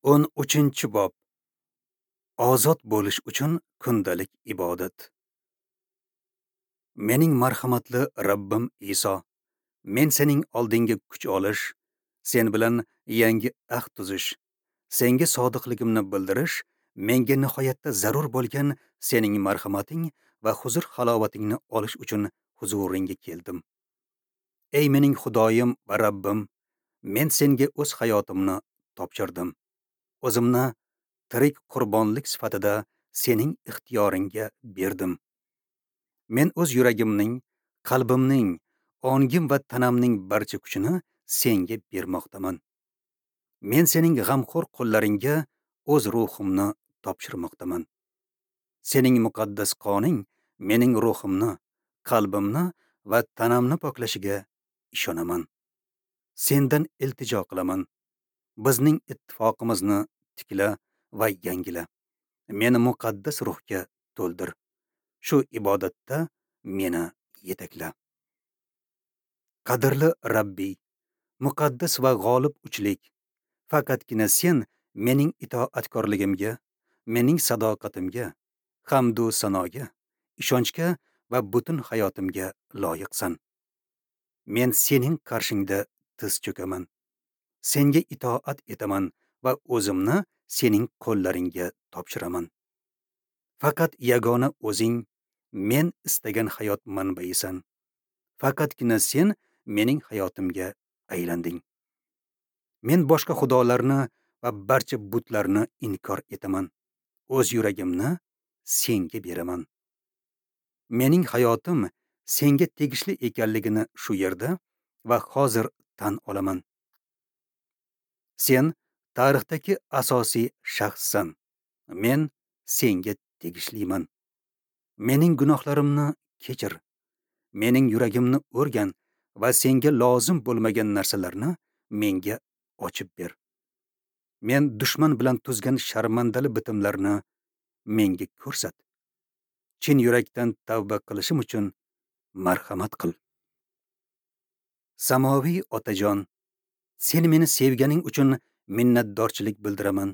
13-bob. Ozod bo'lish uchun kundalik ibodat. Mening marhamatli Rabbim Iso, men sening oldingga kuch olish, sen bilan yangi ahd tuzish, senga sodiqligimni bildirish, menga nihoyatda zarur bo'lgan sening marhamating va huzur halovatingni olish uchun huzuringga keldim. Ey mening Xudoyim va Rabbim, men senga o'z hayotimni topshirdim. O'zimni tirik qurbonlik sifatida sening ixtiyoringga berdim. Men o'z yuragimning, qalbimning, ongim va tanamning barcha kuchini senga bermoqdaman. Men sening g'amxo'r qo'llaringga o'z ruhimni topshirmoqdaman. Sening muqaddas qoning mening ruhimni, qalbimni va tanamni poklashiga ishonaman. Sendan iltijo qilaman. Bizning ittifoqimizni tikla va yangila. Meni muqaddas ruhga to'ldir. Shu ibodatda meni yetakla. Qadrli Rabbiy, muqaddas va g'olib uchlik, faqatgina sen mening itoatkorligimga, mening sadoqatimga, hamdu sanoga, ishonchga va butun hayotimga loyiqsan. Men sening qarshingda tiz cho'kaman. Senga itoat etaman va o'zimni sening qo'llaringga topshiraman. Faqat yagona o'zing men istagan hayot manbaisan. Faqatgina sen mening hayotimga aylanding. Men boshqa xudolarni va barcha butlarni inkor etaman. O'z yuragimni senga beraman. Mening hayotim senga tegishli ekanligini shu yerda va hozir tan olaman. Sen tarixdagi asosiy shaxssan. Men senga tegishliman. Mening gunohlarimni kechir. Mening yuragimni o'rgan va senga lozim bo'lmagan narsalarni menga ochib ber. Men dushman bilan tuzgan sharmandali bitimlarni menga ko'rsat. Chin yurakdan tavba qilishim uchun marhamat qil. Samoviy otajon, sen meni sevganing uchun minnatdorchilik bildiraman.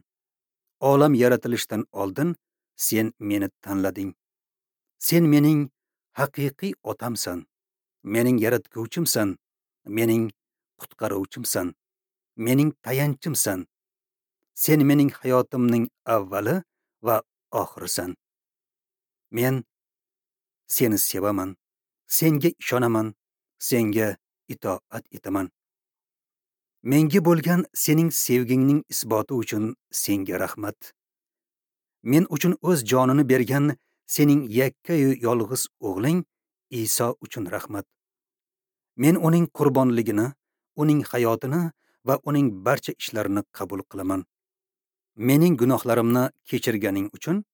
Olam yaratilishidan oldin sen meni tanlading. Sen mening haqiqiy otamsan, mening yaratguvchimsan, mening qutqaruvchimsan, mening tayanchimsan. Sen mening hayotimning avvali va oxirisan. Men seni sevaman, senga ishonaman, senga itoat etaman. Menga bo'lgan sening sevgingning isboti uchun senga rahmat. Men uchun o'z jonini bergan sening yakkayu yolg'iz o'g'ling Iso uchun rahmat. Men uning qurbonligini, uning hayotini va uning barcha ishlarini qabul qilaman. Mening gunohlarimni kechirganing uchun,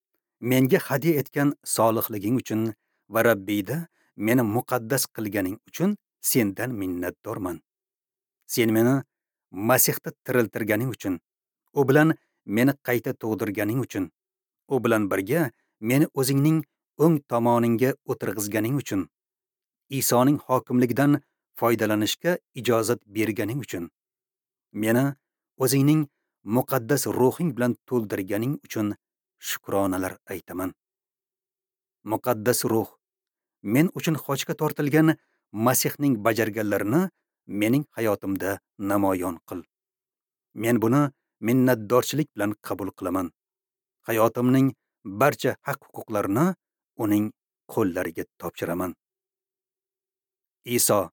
menga hadya etgan solihliging uchun va Rabbiyda meni muqaddas qilganing uchun sendan minnatdorman. Sen meni Masihda tiriltirganing uchun, u bilan meni qayta tug'dirganing uchun, u bilan birga meni o'zingning o'ng tomoningga o'tirg'izganing uchun, Isoning hokimligidan foydalanishga ijozat berganing uchun, meni o'zingning muqaddas ruhing bilan to'ldirganing uchun shukronalar aytaman. Muqaddas ruh, men uchun xochga tortilgan Masihning bajarganlarini mening hayotimda namoyon qil. Men buni minnatdorchilik bilan qabul qilaman. Hayotimning barcha haq-huquqlarini uning qo'llariga topshiraman. Iso,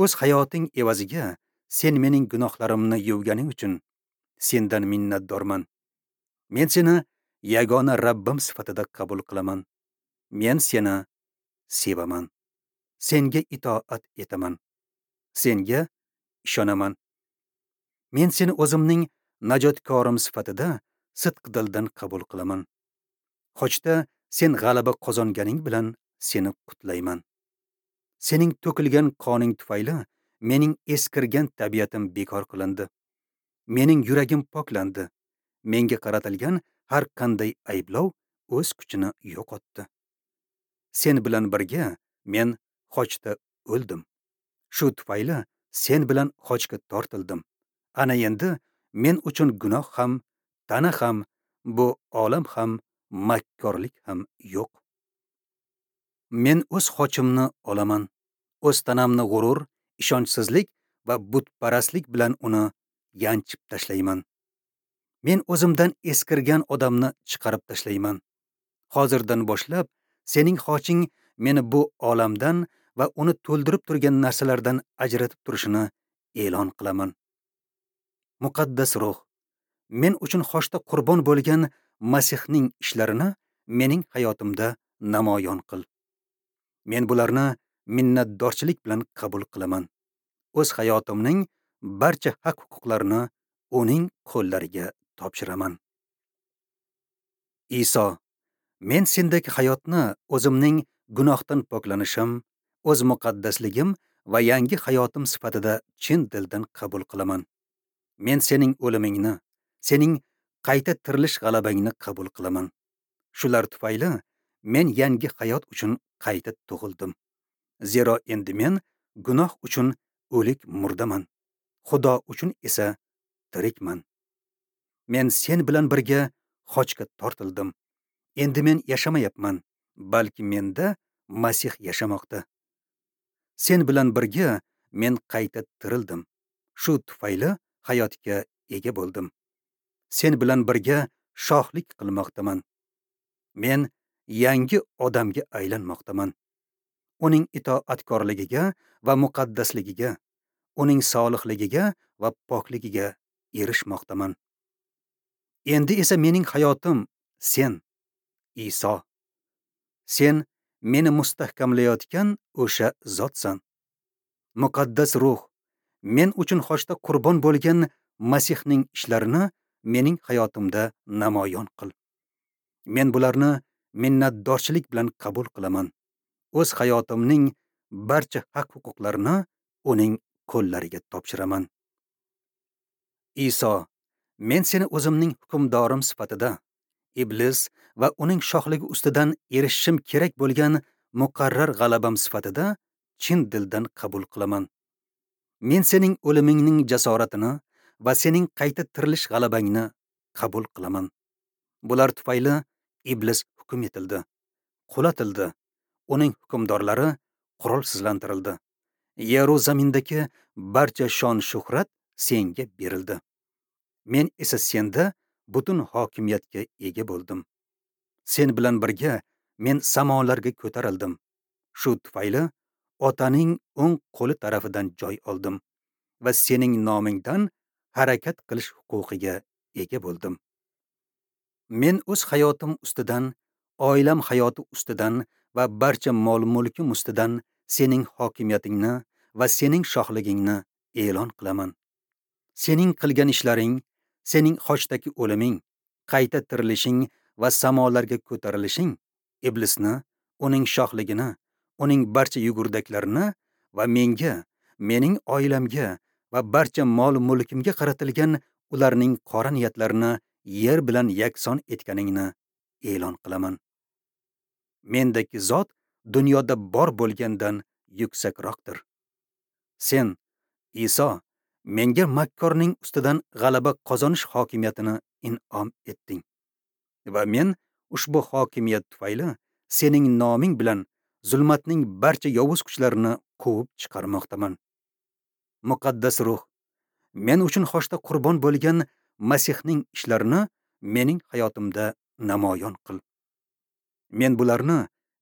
o'z hayoting evaziga sen mening gunohlarimni yuvganing uchun sendan minnatdorman. Men seni yagona Rabbim sifatida qabul qilaman. Men seni sevaman. Senga itoat etaman. Senga ishonaman. Men seni o'zimning najotkorim sifatida sidq dildan qabul qilaman. Xochda sen g'alaba qozonganing bilan seni qutlayman. Sening to'kilgan qoning tufayli mening eskirgan tabiatim bekor qilindi. Mening yuragim poklandi. Menga qaratilgan har qanday ayblov o'z kuchini yo'qotdi. Sen bilan birga men xochda o'ldim. Shu tufayli sen bilan xochga tortildim. Ana endi Men uchun gunoh ham, tana ham, bu olam ham, makkorlik ham yo'q. Men o'z xochimni olaman, o'z tanamni g'urur, ishonchsizlik va butparastlik bilan uni yanchib tashlayman. Men o'zimdan eskirgan odamni chiqarib tashlayman. Hozirdan boshlab sening xoching meni bu olamdan va uni to'ldirib turgan narsalardan ajratib turishini e'lon qilaman. Muqaddas ruh, men uchun xochda qurbon bo'lgan Masihning ishlarini mening hayotimda namoyon qil. Men bularni minnatdorchilik bilan qabul qilaman. O'z hayotimning barcha haq-huquqlarini uning qo'llariga topshiraman. Iso, men sendagi hayotni o'zimning gunohdan poklanishim, o'z muqaddasligim va yangi hayotim sifatida chin dildan qabul qilaman. Men sening o'limingni, sening qayta tirilish g'alabangni qabul qilaman. Shular tufayli men yangi hayot uchun qayta tug'ildim. Zero endi men gunoh uchun o'lik murdaman, Xudo uchun esa tirikman. Men sen bilan birga xochga tortildim. Endi men yashamayapman, balki menda Masih yashamoqda. Sen bilan birga men qayta tirildim. Shu tufayli hayotga ega bo'ldim. Sen bilan birga shohlik qilmoqdaman. Men yangi odamga aylanmoqdaman. Uning itoatkorligiga va muqaddasligiga, uning solihligiga va pokligiga erishmoqdaman. Endi esa mening hayotim sen, Iso. Sen meni mustahkamlayotgan o'sha zotsan. Muqaddas ruh, men uchun xochda qurbon bo'lgan Masihning ishlarini mening hayotimda namoyon qil. Men bularni minnatdorchilik bilan qabul qilaman. O'z hayotimning barcha haq-huquqlarini uning qo'llariga topshiraman. Iso, men seni o'zimning hukmdorim sifatida iblis va uning shohligi ustidan erishishim kerak bo'lgan muqarrar g'alabam sifatida chin dildan qabul qilaman. Men sening o'limingning jasoratini va sening qayta tirilish g'alabangni qabul qilaman. Bular tufayli iblis hukm etildi, qulatildi, uning hukmdorlari qurolsizlantirildi. Yeru zamindagi barcha shon-shuhrat senga berildi. Men esa senda butun hokimiyatga ega bo'ldim. Sen bilan birga men samolarga ko'tarildim. Shu tufayli Otaning o'ng qo'li tarafidan joy oldim va sening nomingdan harakat qilish huquqiga ega bo'ldim. Men o'z hayotim ustidan, oilam hayoti ustidan va barcha mol-mulkim ustidan sening hokimiyatingni va sening shohligingni e'lon qilaman. Sening qilgan ishlaring, sening xochdagi o'liming, qayta tirilishing va samolarga ko'tarilishing iblisni, uning shohligini, uning barcha yugurdaklarini va menga, mening oilamga va barcha mol-mulkimga qaratilgan ularning qora niyatlarini yer bilan yakson etganingni e'lon qilaman. Mendagi zot dunyoda bor bo'lgandan yuksakroqdir. Sen, Iso, menga makkorning ustidan g'alaba qozonish hokimiyatini in'om etding. Va men ushbu hokimiyat tufayli sening noming bilan zulmatning barcha yovuz kuchlarini quvib chiqarmoqdaman. Muqaddas ruh, men uchun xochda qurbon bo'lgan Masihning ishlarini mening hayotimda namoyon qil. Men bularni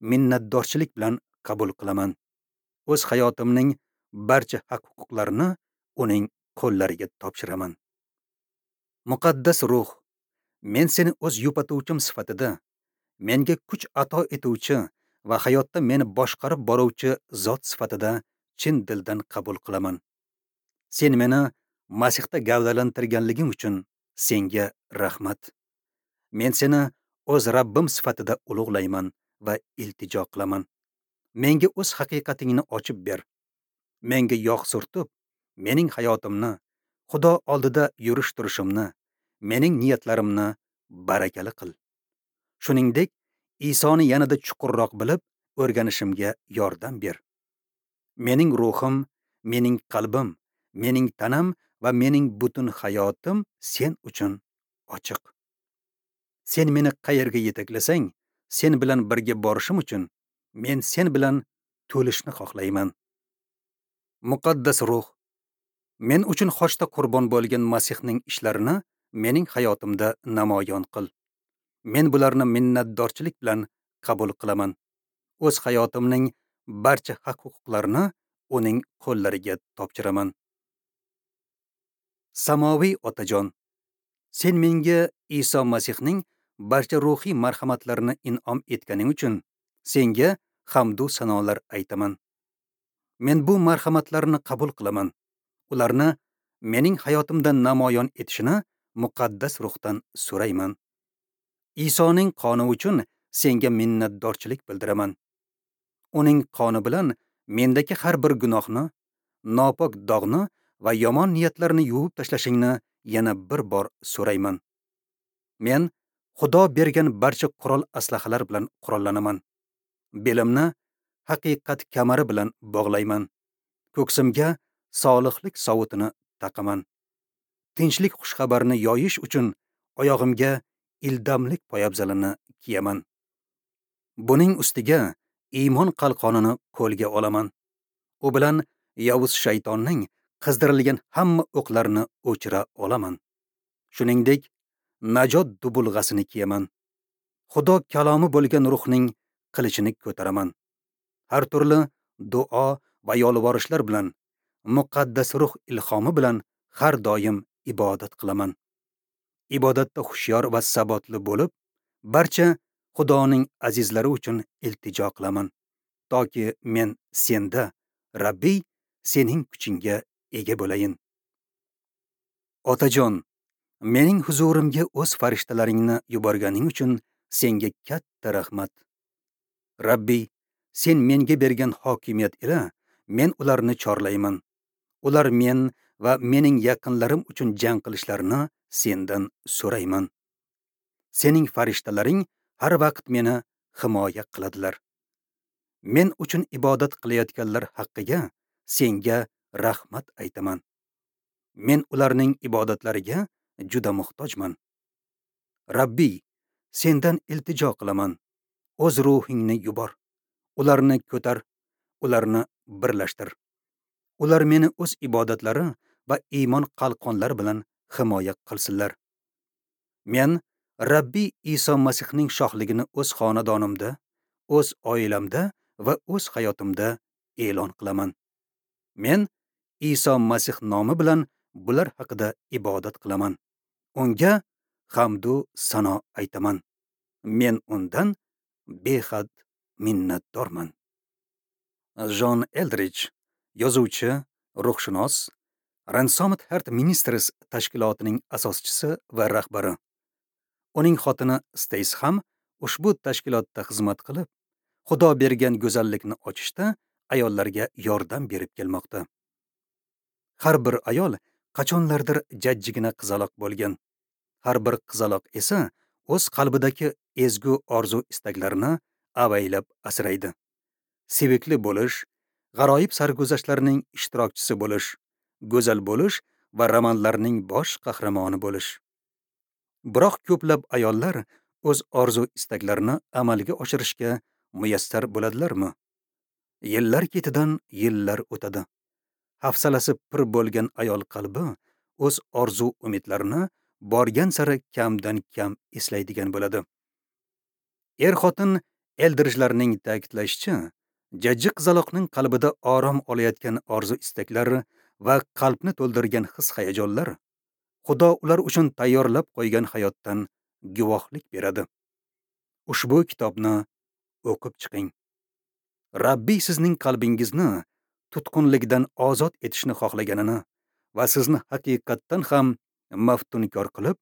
minnatdorchilik bilan qabul qilaman. O'z hayotimning barcha haq-huquqlarini uning qo'llariga topshiraman. Muqaddas ruh, men seni o'z yupatuvchim sifatida, menga kuch ato etuvchi va hayotda meni boshqarib boruvchi zot sifatida chin dildan qabul qilaman. Sen meni Masihda gavdalantirganliging uchun senga rahmat. Men seni o'z Rabbim sifatida ulug'layman va iltijo qilaman. Menga o'z haqiqatingni ochib ber. Menga yog' surtib, mening hayotimni, Xudo oldida yurish turishimni, mening niyatlarimni barakali qil. Shuningdek, Isoni yanada chuqurroq bilib, o'rganishimga yordam ber. Mening ruhim, mening qalbim, mening tanam va mening butun hayotim sen uchun ochiq. Sen meni qayerga yetaklasang, sen bilan birga borishim uchun men sen bilan to'lishni xohlayman. Muqaddas ruh, men uchun xochda qurbon bo'lgan Masihning ishlarini mening hayotimda namoyon qil. Men bularni minnatdorchilik bilan qabul qilaman. O'z hayotimning barcha haq-huquqlarini uning qo'llariga topshiraman. Samoviy Otajon, sen menga Iso Masihning barcha ruhiy marhamatlarini in'om etganing uchun senga hamdu sanolar aytaman. Men bu marhamatlarni qabul qilaman. Ularni mening hayotimda namoyon etishini muqaddas ruhdan so'rayman. Isoning qoni uchun senga minnatdorchilik bildiraman. Uning qoni bilan mendagi har bir gunohni, nopok dog'ni va yomon niyatlarni yuvib tashlashingni yana bir bor so'rayman. Men Xudo bergan barcha qurol aslahalar bilan qurollanaman. Belimni haqiqat kamari bilan bog'layman. Ko'ksimga solihlik sovutini taqaman. Tinchlik xushxabarini yoyish uchun oyog'imga ildamlik poyabzalini kiyaman. Buning ustiga iymon qalqonini qo'lga olaman. U bilan yovuz shaytonning qizdirilgan hamma o'qlarini o'chira olaman. Shuningdek, najot dubulg'asini kiyaman. Xudo kalomi bo'lgan ruhning qilichini ko'taraman. Har turli duo va yolvorishlar bilan, muqaddas ruh ilhomi bilan har doim ibodat qilaman. Ibodatda hushyor va sabotli bo'lib, barcha Xudoning azizlari uchun iltijo qilaman, toki men senda, Rabbiy, sening kuchingga ega bo'layin. Otajon, mening huzurimga o'z farishtalaringni yuborganing uchun senga katta rahmat. Rabbiy, sen menga bergan hokimiyat ila men ularni chorlayman. Ular men va mening yaqinlarim uchun jang qilishlarini sendan so'rayman. Sening farishtalaring har vaqt meni himoya qiladilar. Men uchun ibodat qilayotganlar haqqiga senga rahmat aytaman. Men ularning ibodatlariga juda muhtojman. Rabbiy, sendan iltijo qilaman. O'z ruhingni yubor. Ularni ko'tar, ularni birlashtir. Ular meni o'z ibodatlari va iymon qalqonlari bilan himoya qilsinlar. Men Rabbiy Iso Masihning shohligini o'z xonadonimda, o'z oilamda va o'z hayotimda e'lon qilaman. Men Iso Masih nomi bilan bular haqida ibodat qilaman. Unga hamdu sano aytaman. Men undan behad minnatdorman. Jon Eldridge, yozuvchi, ruhshunos, Ransomed Heart Ministries tashkilotining asoschisi va rahbari. Uning xotini Stace ham ushbu tashkilotda xizmat qilib, Xudo bergan go'zallikni ochishda ayollarga yordam berib kelmoqda. Har bir ayol qachonlardir jajjigina qizaloq bo'lgan. Har bir qizaloq esa o'z qalbidagi ezgu orzu istaklarini avaylab asraydi. Sevikli bo'lish, g'aroyib sarguzashtlarning ishtirokchisi bo'lish, go'zal bo'lish va romanlarning bosh qahramoni bo'lish. Biroq ko'plab ayollar o'z orzu istaklarini amalga oshirishga muyassar bo'ladilarmi? Yillar ketidan yillar o'tadi. Hafsalasi pir bo'lgan ayol qalbi o'z orzu umidlarini borgan sari kamdan kam eslaydigan bo'ladi. Er-xotin Eldridgelarning ta'kidlashicha, jajji qizaloqning qalbida orom olayotgan orzu istaklar va qalbni to'ldirgan his-hayajonlar Xudo ular uchun tayyorlab qo'ygan hayotdan guvohlik beradi. Ushbu kitobni o'qib chiqing. Rabbiy sizning qalbingizni tutqunlikdan ozod etishni xohlaganini va sizni haqiqatdan ham maftunkor qilib,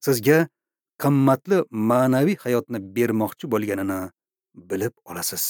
sizga qimmatli ma'naviy hayotni bermoqchi bo'lganini bilib olasiz.